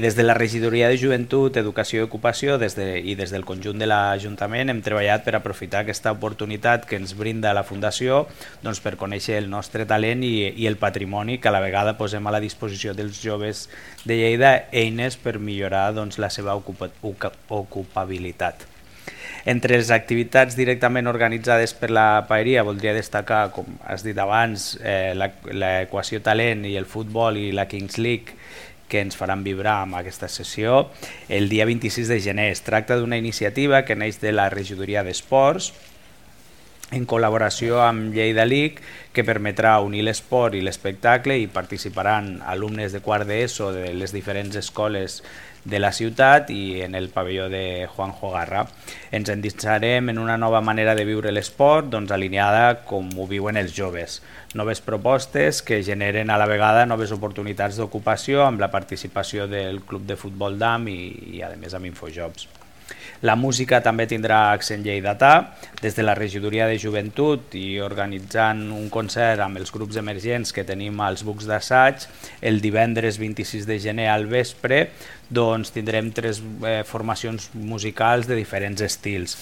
Des de la Regidoria de Joventut, Educació i Ocupació i des del conjunt de l'Ajuntament hem treballat per aprofitar aquesta oportunitat que ens brinda la Fundació per conèixer el nostre talent i el patrimoni, que a la vegada posem a la disposició dels joves de Lleida eines per millorar la seva ocupabilitat. Entre les activitats directament organitzades per la Paeria voldria destacar, com has dit abans, l'Equació Talent i el futbol i la Kings League, que ens faran vibrar amb aquesta sessió el dia 26 de gener. Es tracta d'una iniciativa que neix de la Regidoria d'Esports en col·laboració amb Lleida League, que permetrà unir l'esport i l'espectacle, i participaran alumnes de quart d'ESO de les diferents escoles de la ciutat i en el pavelló de Juanjo Garra. Ens endinsarem en una nova manera de viure l'esport, alineada com ho viuen els joves. Noves propostes que generen a la vegada noves oportunitats d'ocupació amb la participació del Club de Futbol d'AM i a més amb Infojobs. La música també tindrà accent lleidatà, des de la Regidoria de Joventut i organitzant un concert amb els grups emergents que tenim als Bucs d'Assaig. El divendres 26 de gener al vespre tindrem 3 formacions musicals de diferents estils,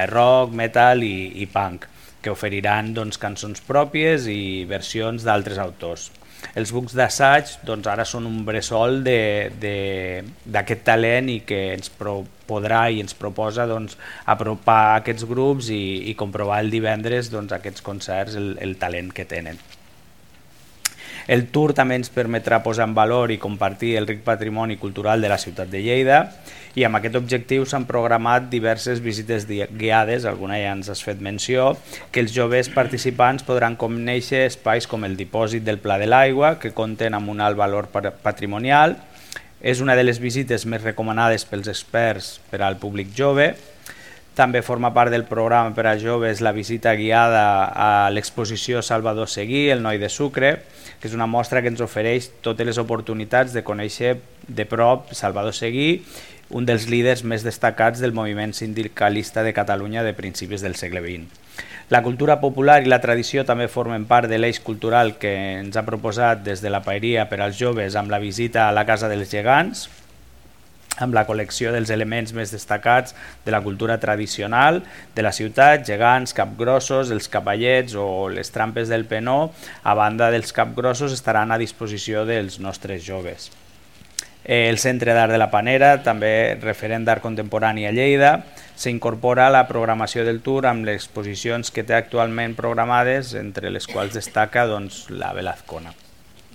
rock, metal i punk, que oferiran cançons pròpies i versions d'altres autors. Els Bucs d'Assaig ara són un bressol d'aquest talent i que ens podrà i ens proposa apropar aquests grups i comprovar el divendres aquests concerts, el talent que tenen. El tour també ens permetrà posar en valor i compartir el ric patrimoni cultural de la ciutat de Lleida, i amb aquest objectiu s'han programat diverses visites guiades, alguna ja ens has fet menció, que els joves participants podran conèixer espais com el dipòsit del Pla de l'Aigua, que compten amb un alt valor patrimonial. És una de les visites més recomanades pels experts per al públic jove. També forma part del programa per a joves la visita guiada a l'exposició Salvador Seguí, el noi de Sucre, que és una mostra que ens ofereix totes les oportunitats de conèixer de prop Salvador Seguí, un dels líders més destacats del moviment sindicalista de Catalunya de principis del segle XX. La cultura popular i la tradició també formen part de l'eix cultural que ens ha proposat des de la Paeria per als joves amb la visita a la Casa dels Gegants, amb la col·lecció dels elements més destacats de la cultura tradicional de la ciutat, gegants, capgrossos, els cavallets o les trampes del penó. A banda dels capgrossos estaran a disposició dels nostres joves. El Centre d'Art de la Panera, també referent d'art contemporani a Lleida, s'incorpora a la programació del tour amb les exposicions que té actualment programades, entre les quals destaca la Velazcona.